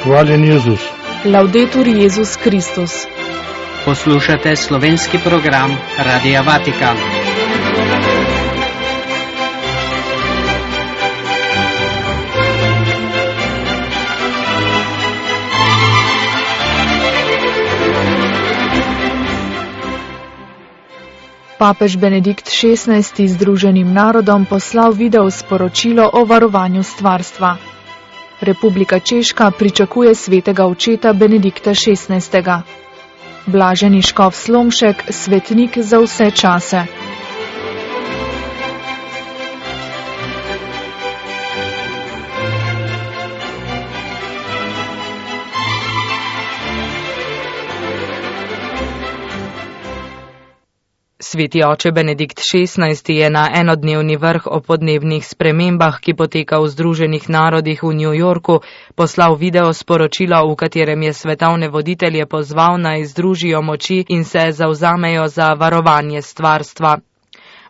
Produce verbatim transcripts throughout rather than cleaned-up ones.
Hvaljen Jezus. Laudetur Jezus Kristus. Poslušate slovenski program Radia Vatikan. Papež Benedikt šestnajsti Združenim narodom poslal video sporočilo o varovanju stvarstva. Republika Češka pričakuje svetega očeta Benedikta šestnajstega. Blaženi škof Slomšek, svetnik za vse čase. Sveti oče Benedikt šestnajsti je na enodnevni vrh o podnebnih spremembah, ki poteka v Združenih narodih v New Yorku, poslal video sporočilo, v katerem je svetovne voditelje pozval naj združijo moči in se zavzamejo za varovanje stvarstva.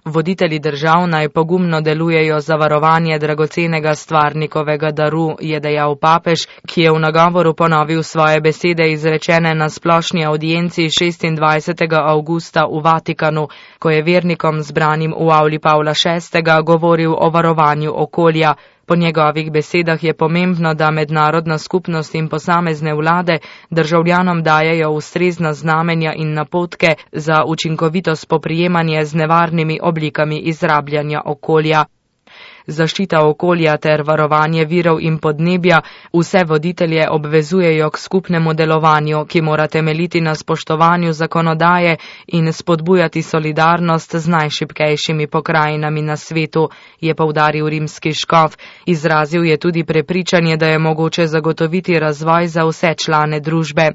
Voditelji držav naj pogumno delujejo za varovanje dragocenega stvarnikovega daru, je dejal papež, ki je v nagovoru ponovil svoje besede izrečene na splošni audienci šestindvajsetega avgusta v Vatikanu, ko je vernikom zbranim v avli Pavla šestega govoril o varovanju okolja. Po njegovih besedah je pomembno, da mednarodna skupnost in posamezne vlade državljanom dajejo ustrezna znamenja in napotke za učinkovito spoprijemanje z nevarnimi oblikami izrabljanja okolja. Zaščita okolja ter varovanje virov in podnebja vse voditelje obvezujejo k skupnemu delovanju, ki mora temeljiti na spoštovanju zakonodaje in spodbujati solidarnost z najšibkejšimi pokrajinami na svetu, je poudaril rimski škof. Izrazil je tudi prepričanje, da je mogoče zagotoviti razvoj za vse člane družbe.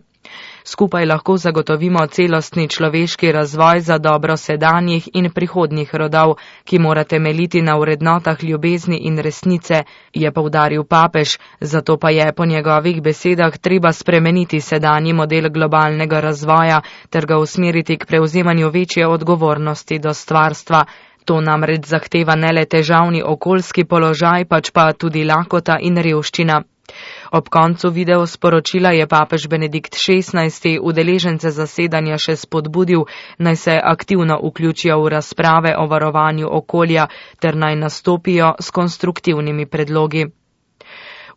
Skupaj lahko zagotovimo celostni človeški razvoj za dobro sedanjih in prihodnjih rodov, ki mora temeljiti na vrednotah ljubezni in resnice, je poudaril papež, zato pa je po njegovih besedah treba spremeniti sedanji model globalnega razvoja ter ga usmeriti k prevzemanju večje odgovornosti do stvarstva. To namreč zahteva ne le težavni okoljski položaj, pač pa tudi lakota in revščina. Ob koncu video sporočila je papež Benedikt šestnajsti udeležence zasedanja še spodbudil, naj se aktivno vključijo v razprave o varovanju okolja ter naj nastopijo s konstruktivnimi predlogi.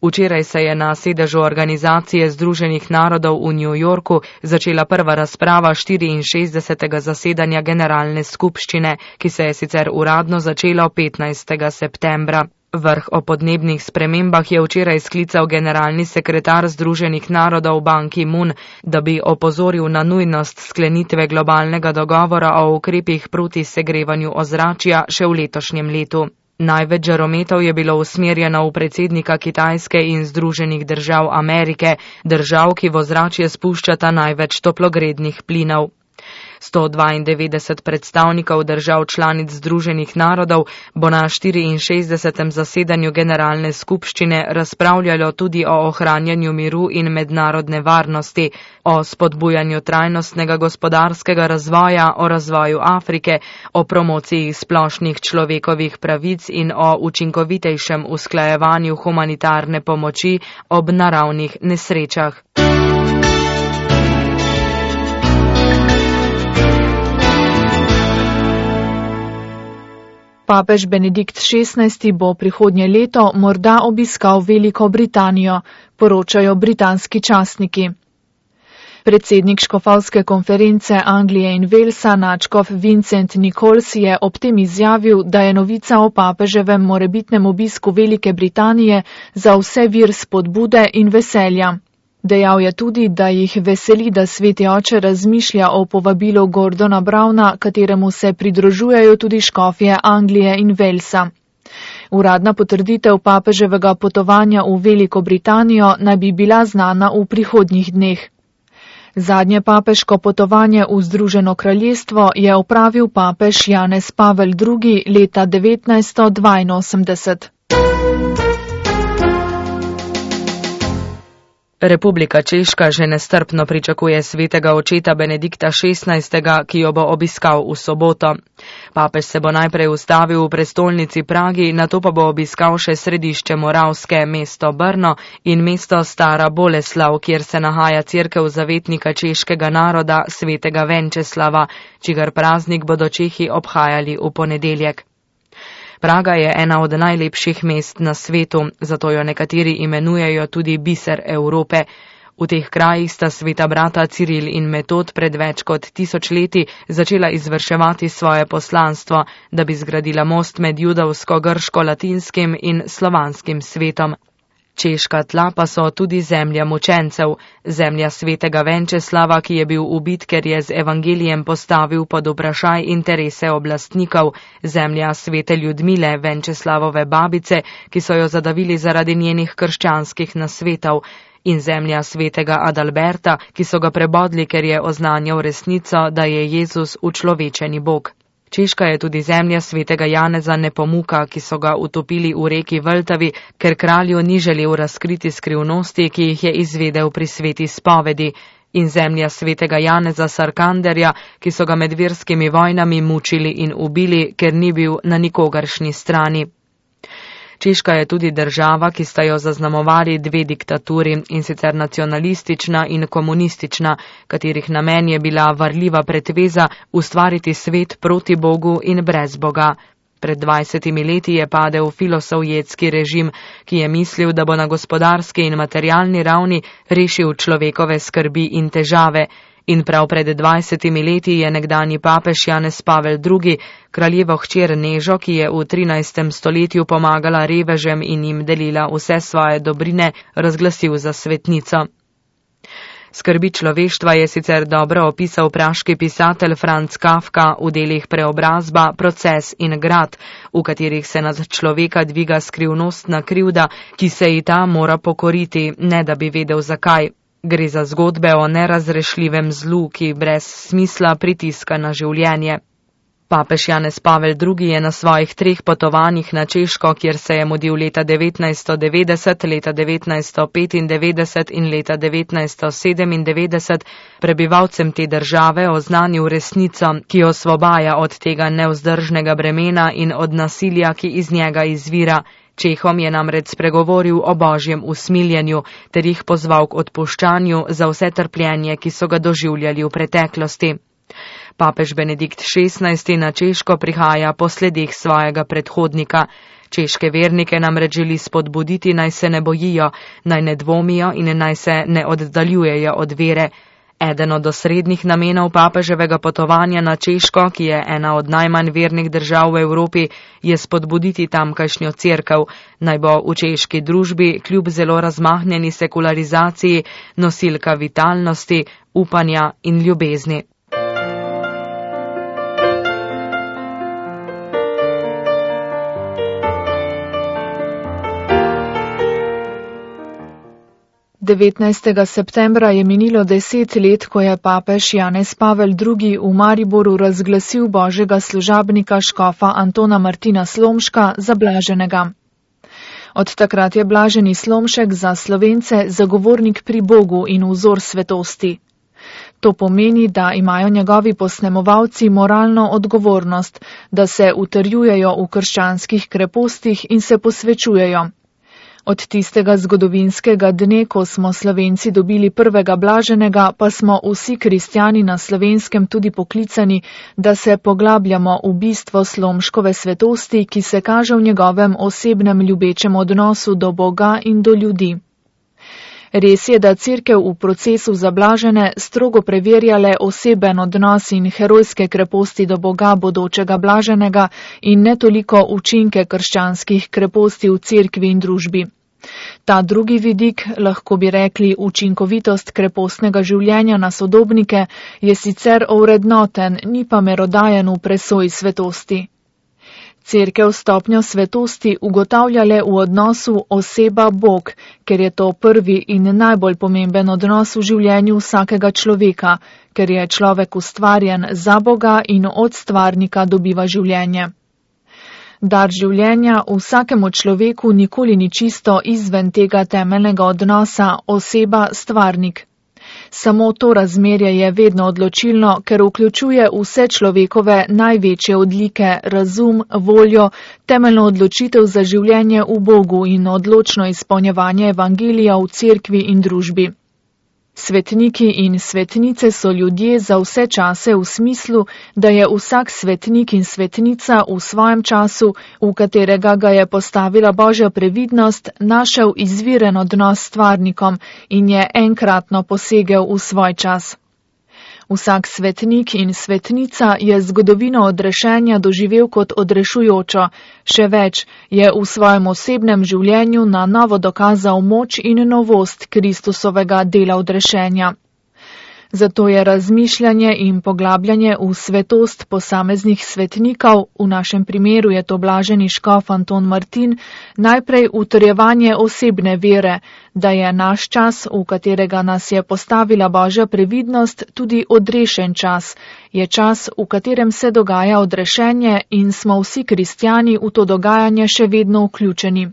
Včeraj se je na sedežu Organizacije Združenih narodov v New Yorku začela prva razprava štiriinšestdesetega zasedanja Generalne skupščine, ki se je sicer uradno začela petnajstega septembra. Vrh o podnebnih spremembah je včeraj sklical generalni sekretar Združenih narodov Ban Ki-moon, da bi opozoril na nujnost sklenitve globalnega dogovora o ukrepih proti segrevanju ozračja še v letošnjem letu. Največ žarometov je bilo usmerjeno v predsednika Kitajske in Združenih držav Amerike, držav, ki v ozračje spuščata največ toplogrednih plinov. sto dvaindevetdeset predstavnikov držav članic Združenih narodov bo na štiriinšestdesetem zasedanju Generalne skupščine razpravljalo tudi o ohranjanju miru in mednarodne varnosti, o spodbujanju trajnostnega gospodarskega razvoja, o razvoju Afrike, o promociji splošnih človekovih pravic in o učinkovitejšem usklajevanju humanitarne pomoči ob naravnih nesrečah. Papež Benedikt šestnajsti bo prihodnje leto morda obiskal Veliko Britanijo, poročajo britanski časniki. Predsednik škofovske konference Anglije in Walesa, nadškof Vincent Nichols, je ob tem izjavil, da je novica o papeževem morebitnem obisku Velike Britanije za vse vir spodbude in veselja. Dejal je tudi, da jih veseli, da sveti oče razmišlja o povabilu Gordona Browna, kateremu se pridružujejo tudi škofje Anglije in Walesa. Uradna potrditev papeževega potovanja v Veliko Britanijo naj bi bila znana v prihodnjih dneh. Zadnje papeško potovanje v Združeno kraljestvo je opravil papež Janez Pavel drugi leta devetnajststo dvainosemdeset. Republika Češka že nestrpno pričakuje svetega očeta Benedikta šestnajstega, ki jo bo obiskal v soboto. Papež se bo najprej ustavil v prestolnici Pragi, nato pa bo obiskal še središče Moravske, mesto Brno in mesto Stara Boleslav, kjer se nahaja cerkev zavetnika češkega naroda svetega Venčeslava, čigar praznik bodo Čehi obhajali v ponedeljek. Praga je ena od najlepših mest na svetu, zato jo nekateri imenujejo tudi biser Evrope. V teh krajih sta sveta brata Ciril in Metod pred več kot tisoč leti začela izvrševati svoje poslanstvo, da bi zgradila most med judovsko-grško-latinskim in slovanskim svetom. Češka tla pa so tudi zemlja mučencev, zemlja svetega Venčeslava, ki je bil ubit, ker je z evangelijem postavil pod vprašaj interese oblastnikov, zemlja svete Ljudmile, Venčeslavove babice, ki so jo zadavili zaradi njenih krščanskih nasvetov, in zemlja svetega Adalberta, ki so ga prebodli, ker je oznanjal resnico, da je Jezus učlovečeni Bog. Češka je tudi zemlja svetega Janeza Nepomuka, ki so ga utopili v reki Vltavi, ker kralju ni želel razkriti skrivnosti, ki jih je izvedel pri sveti spovedi, in zemlja svetega Janeza Sarkanderja, ki so ga med verskimi vojnami mučili in ubili, ker ni bil na nikogaršnji strani. Češka je tudi država, ki sta jo zaznamovali dve diktaturi, in sicer nacionalistična in komunistična, katerih namen je bila varljiva pretveza ustvariti svet proti Bogu in brez Boga. Pred dvajsetimi leti je padel filosovjetski režim, ki je mislil, da bo na gospodarski in materialni ravni rešil človekove skrbi in težave. In prav pred dvajsetimi leti je nekdanji papež Janez Pavel drugi, kraljevo hčer Nežo, ki je v trinajstem stoletju pomagala revežem in jim delila vse svoje dobrine, razglasil za svetnico. Skrbi človeštva je sicer dobro opisal praški pisatelj Franz Kafka v delih Preobrazba, Proces in Grad, v katerih se nad človeka dviga skrivnostna krivda, ki se ji ta mora pokoriti, ne da bi vedel zakaj. Gre za zgodbe o nerazrešljivem zlu, ki brez smisla pritiska na življenje. Papež Janez Pavel drugi je na svojih treh potovanjih na Češko, kjer se je mudil leta devetnajststo devetdeset, leta devetnajststo petindevetdeset in leta devetnajststo sedemindevetdeset, prebivalcem te države oznanil resnico, ki jo osvobaja od tega nevzdržnega bremena in od nasilja, ki iz njega izvira. Čehom je namreč spregovoril o božjem usmiljenju ter jih pozval k odpuščanju za vse trpljenje, ki so ga doživljali v preteklosti. Papež Benedikt šestnajsti na Češko prihaja po sledih svojega predhodnika. Češke vernike namreč želi spodbuditi, naj se ne bojijo, naj ne dvomijo in naj se ne oddaljujejo od vere. Eden od osrednjih namenov papeževega potovanja na Češko, ki je ena od najmanj vernih držav v Evropi, je spodbuditi tamkajšnjo cerkev, naj bo v češki družbi kljub zelo razmahnjeni sekularizaciji nosilka vitalnosti, upanja in ljubezni. devetnajstega septembra je minilo deset let, ko je papež Janez Pavel drugi v Mariboru razglasil božjega služabnika škofa Antona Martina Slomška za blaženega. Od takrat je blaženi Slomšek za Slovence zagovornik pri Bogu in vzor svetosti. To pomeni, da imajo njegovi posnemovalci moralno odgovornost, da se utrjujejo v krščanskih krepostih in se posvečujejo. Od tistega zgodovinskega dne, ko smo Slovenci dobili prvega blaženega, pa smo vsi kristjani na Slovenskem tudi poklicani, da se poglabljamo v bistvo Slomškove svetosti, ki se kaže v njegovem osebnem ljubečem odnosu do Boga in do ljudi. Res je, da cerkev v procesu za blažene strogo preverjale oseben odnos in herojske kreposti do Boga bodočega blaženega in ne toliko učinke krščanskih kreposti v cerkvi in družbi. Ta drugi vidik, lahko bi rekli učinkovitost krepostnega življenja na sodobnike, je sicer ovrednoten, ni pa merodajen v presoji svetosti. Cerkev stopnjo svetosti ugotavlja le v odnosu oseba-Bog, ker je to prvi in najbolj pomemben odnos v življenju vsakega človeka, ker je človek ustvarjen za Boga in od stvarnika dobiva življenje. Dar življenja vsakemu človeku nikoli ni čisto izven tega temeljnega odnosa oseba-stvarnik. Samo to razmerje je vedno odločilno, ker vključuje vse človekove največje odlike, razum, voljo, temeljno odločitev za življenje v Bogu in odločno izpolnjevanje evangelija v cerkvi in družbi. Svetniki in svetnice so ljudje za vse čase v smislu, da je vsak svetnik in svetnica v svojem času, v katerega ga je postavila Božja previdnost, našel izviren odnos s stvarnikom in je enkratno posegel v svoj čas. Vsak svetnik in svetnica je zgodovino odrešenja doživel kot odrešujočo, še več, je v svojem osebnem življenju na novo dokazal moč in novost Kristusovega dela odrešenja. Zato je razmišljanje in poglabljanje v svetost posameznih svetnikov, v našem primeru je to blaženi škof Anton Martin, najprej utrjevanje osebne vere, da je naš čas, v katerega nas je postavila Božja previdnost, tudi odrešen čas, je čas, v katerem se dogaja odrešenje in smo vsi kristjani v to dogajanje še vedno vključeni.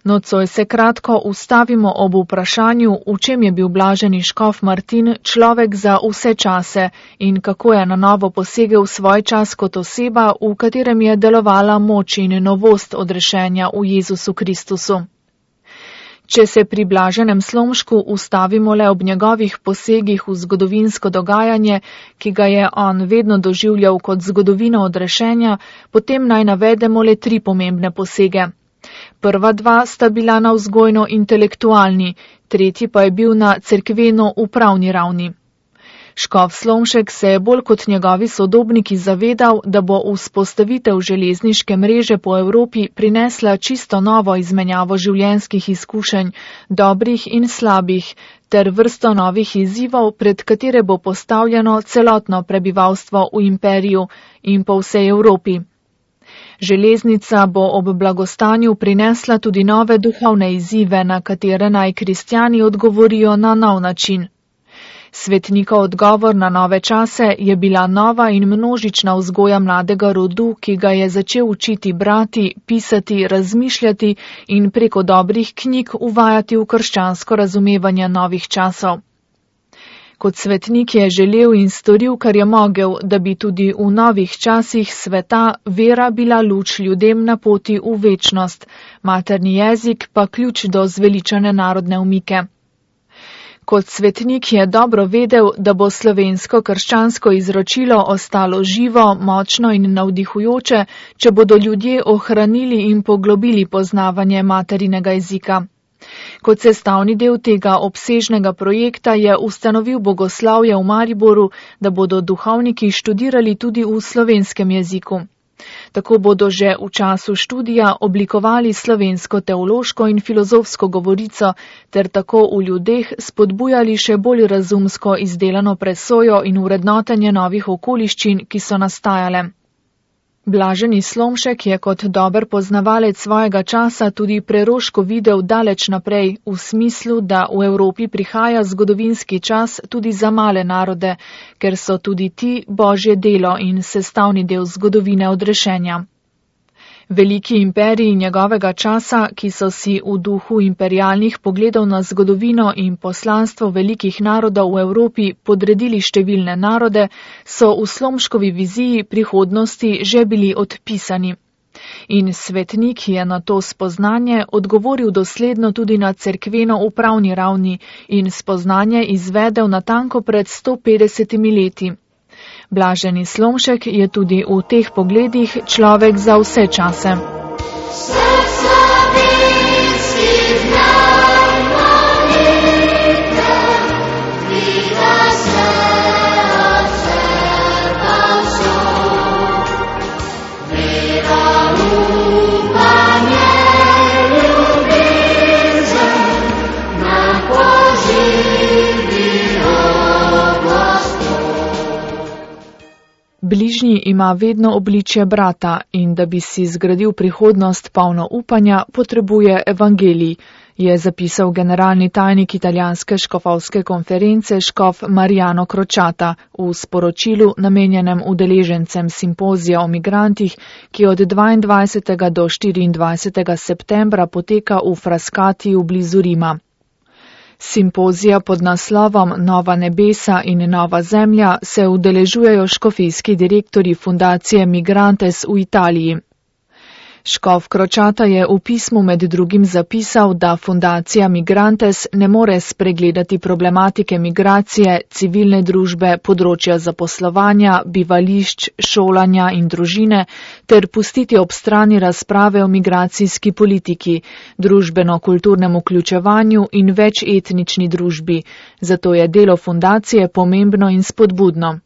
Nocoj se kratko ustavimo ob vprašanju, v čem je bil blaženi škof Martin človek za vse čase in kako je na novo posegel svoj čas kot oseba, v katerem je delovala moč in novost odrešenja v Jezusu Kristusu. Če se pri blaženem Slomšku ustavimo le ob njegovih posegih v zgodovinsko dogajanje, ki ga je on vedno doživljal kot zgodovino odrešenja, potem naj navedemo le tri pomembne posege. Prva dva sta bila na vzgojno-intelektualni, tretji pa je bil na cerkveno-upravni ravni. Škof Slomšek se je bolj kot njegovi sodobniki zavedal, da bo vzpostavitev železniške mreže po Evropi prinesla čisto novo izmenjavo življenjskih izkušenj, dobrih in slabih, ter vrsto novih izzivov, pred katere bo postavljeno celotno prebivalstvo v imperiju in po vsej Evropi. Železnica bo ob blagostanju prinesla tudi nove duhovne izzive, na katere naj kristjani odgovorijo na nov način. Svetnikov odgovor na nove čase je bila nova in množična vzgoja mladega rodu, ki ga je začel učiti brati, pisati, razmišljati in preko dobrih knjig uvajati v krščansko razumevanje novih časov. Kot svetnik je želel in storil, kar je mogel, da bi tudi v novih časih sveta vera bila luč ljudem na poti v večnost, materni jezik pa ključ do zveličane narodne umike. Kot svetnik je dobro vedel, da bo slovensko krščansko izročilo ostalo živo, močno in navdihujoče, če bodo ljudje ohranili in poglobili poznavanje materinega jezika. Kot sestavni del tega obsežnega projekta je ustanovil bogoslavje v Mariboru, da bodo duhovniki študirali tudi v slovenskem jeziku. Tako bodo že v času študija oblikovali slovensko teološko in filozofsko govorico, ter tako v ljudeh spodbujali še bolj razumsko izdelano presojo in vrednotenje novih okoliščin, ki so nastajale. Blaženi Slomšek je kot dober poznavalec svojega časa tudi preroško videl daleč naprej, v smislu, da v Evropi prihaja zgodovinski čas tudi za male narode, ker so tudi ti Božje delo in sestavni del zgodovine odrešenja. Veliki imperiji njegovega časa, ki so si v duhu imperialnih pogledov na zgodovino in poslanstvo velikih narodov v Evropi podredili številne narode, so v Slomškovi viziji prihodnosti že bili odpisani. In svetnik je na to spoznanje odgovoril dosledno tudi na cerkveno-upravni ravni in spoznanje izvedel natanko pred sto petdesetimi leti. Blaženi Slomšek je tudi v teh pogledih človek za vse čase. Bližnji ima vedno obličje brata in da bi si zgradil prihodnost polno upanja, potrebuje evangelij. je zapisal generalni tajnik italijanske škofovske konference škof Mariano Crociata v sporočilu namenjenem udeležencem simpozija o migrantih, ki od dvaindvajsetega do štiriindvajsetega septembra poteka v Frascatiju blizu Rima. Simpozija pod naslovom Nova nebesa in nova zemlja se udeležujejo škofijski direktorji fundacije Migrantes v Italiji. Škof Crociata je v pismu med drugim zapisal, da fundacija Migrantes ne more spregledati problematike migracije, civilne družbe, področja zaposlovanja, bivališč, šolanja in družine ter pustiti ob strani razprave o migracijski politiki, družbeno-kulturnem vključevanju in večetnični družbi. Zato je delo fundacije pomembno in spodbudno.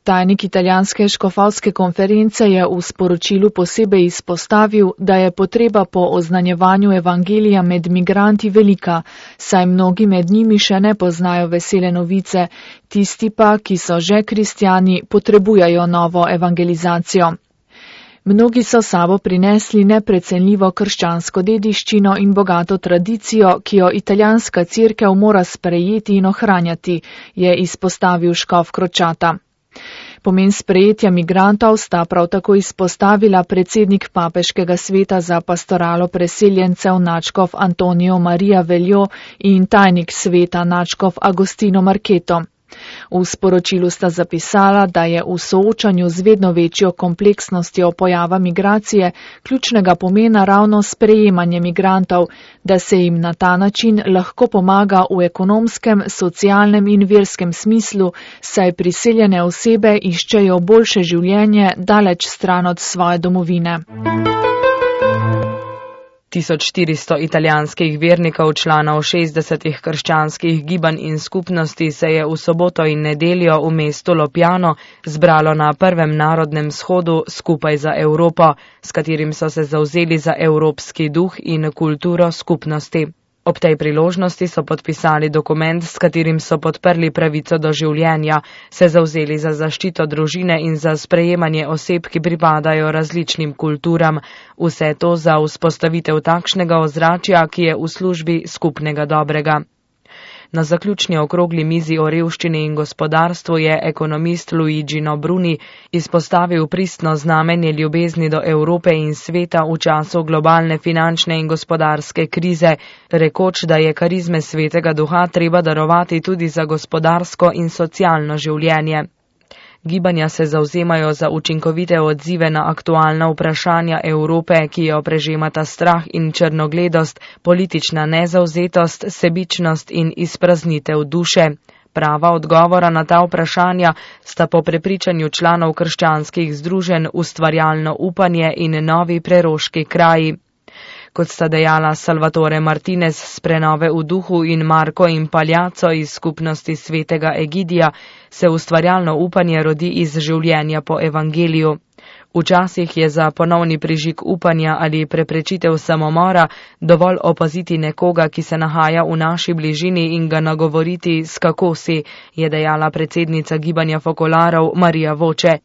Tajnik italijanske škofovske konference je v sporočilu posebej izpostavil, da je potreba po oznanjevanju evangelija med migranti velika, saj mnogi med njimi še ne poznajo vesele novice, tisti pa, ki so že kristjani, potrebujejo novo evangelizacijo. Mnogi so sabo prinesli neprecenljivo krščansko dediščino in bogato tradicijo, ki jo italijanska cerkev mora sprejeti in ohranjati, je izpostavil škof Crociata. Pomen sprejetja migrantov sta prav tako izpostavila predsednik papeškega sveta za pastoralo preseljencev nadškof Antonijo Marija Veljo in tajnik sveta nadškof Agostino Marketo. V sporočilu sta zapisala, da je v soočanju z vedno večjo kompleksnostjo pojava migracije ključnega pomena ravno sprejemanje migrantov, da se jim na ta način lahko pomaga v ekonomskem, socialnem in verskem smislu, saj priseljene osebe iščejo boljše življenje daleč stran od svoje domovine. tisoč štiristo italijanskih vernikov, članov šestdesetih krščanskih gibanj in skupnosti se je v soboto in nedeljo v mestu Lopjano zbralo na prvem narodnem shodu Skupaj za Evropo, s katerim so se zavzeli za evropski duh in kulturo skupnosti. Ob tej priložnosti so podpisali dokument, s katerim so podprli pravico do življenja, se zavzeli za zaščito družine in za sprejemanje oseb, ki pripadajo različnim kulturam. Vse to za vzpostavitev takšnega ozračja, ki je v službi skupnega dobrega. Na zaključni okrogli mizi o revščini in gospodarstvu je ekonomist Luigi Bruni izpostavil pristno znamenje ljubezni do Evrope in sveta v času globalne finančne in gospodarske krize, rekoč, da je karizme svetega duha treba darovati tudi za gospodarsko in socialno življenje. Gibanja se zavzemajo za učinkovite odzive na aktualna vprašanja Evrope, ki jo prežemata strah in črnogledost, politična nezavzetost, sebičnost in izpraznitev duše. Prava odgovora na ta vprašanja sta po prepričanju članov krščanskih združenj ustvarjalno upanje in novi preroški kraji. Kot sta dejala Salvatore Martinez z Prenove v duhu in Marko in Paljaco iz skupnosti svetega Egidija, se ustvarjalno upanje rodi iz življenja po evangeliju. Včasih je za ponovni prižig upanja ali preprečitev samomora dovolj opaziti nekoga, ki se nahaja v naši bližini in ga nagovoriti, s kako si, je dejala predsednica gibanja Fokolarov Marija Voče.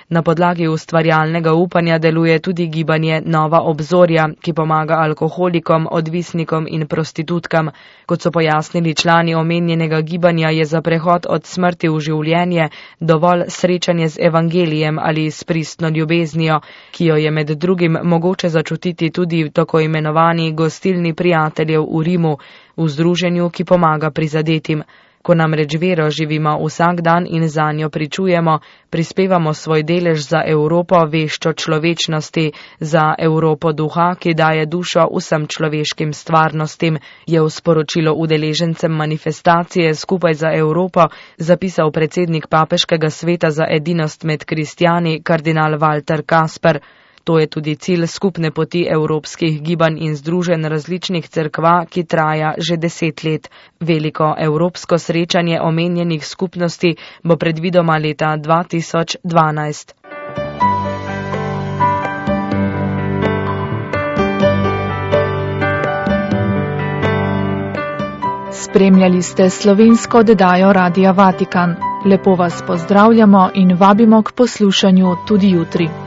Na podlagi ustvarjalnega upanja deluje tudi gibanje Nova obzorja, ki pomaga alkoholikom, odvisnikom in prostitutkam. Kot so pojasnili člani omenjenega gibanja, je za prehod od smrti v življenje dovolj srečanje z evangelijem ali s pristno ljubeznijo, ki jo je med drugim mogoče začutiti tudi v tako imenovani gostilni prijateljev v Rimu, v združenju, ki pomaga prizadetim. Ko namreč vero živimo vsak dan in zanjo pričujemo, prispevamo svoj delež za Evropo veščo človečnosti, za Evropo duha, ki daje dušo vsem človeškim stvarnostim, je v sporočilo udeležencem manifestacije Skupaj za Evropo zapisal predsednik papeškega sveta za edinost med kristjani kardinal Walter Kasper. To je tudi cilj skupne poti evropskih gibanj in združenj različnih cerkva, ki traja že deset let. Veliko evropsko srečanje omenjenih skupnosti bo predvidoma leta dva tisoč dvanajst. Spremljali ste slovensko oddajo Radia Vatikan. Lepo vas pozdravljamo in vabimo k poslušanju tudi jutri.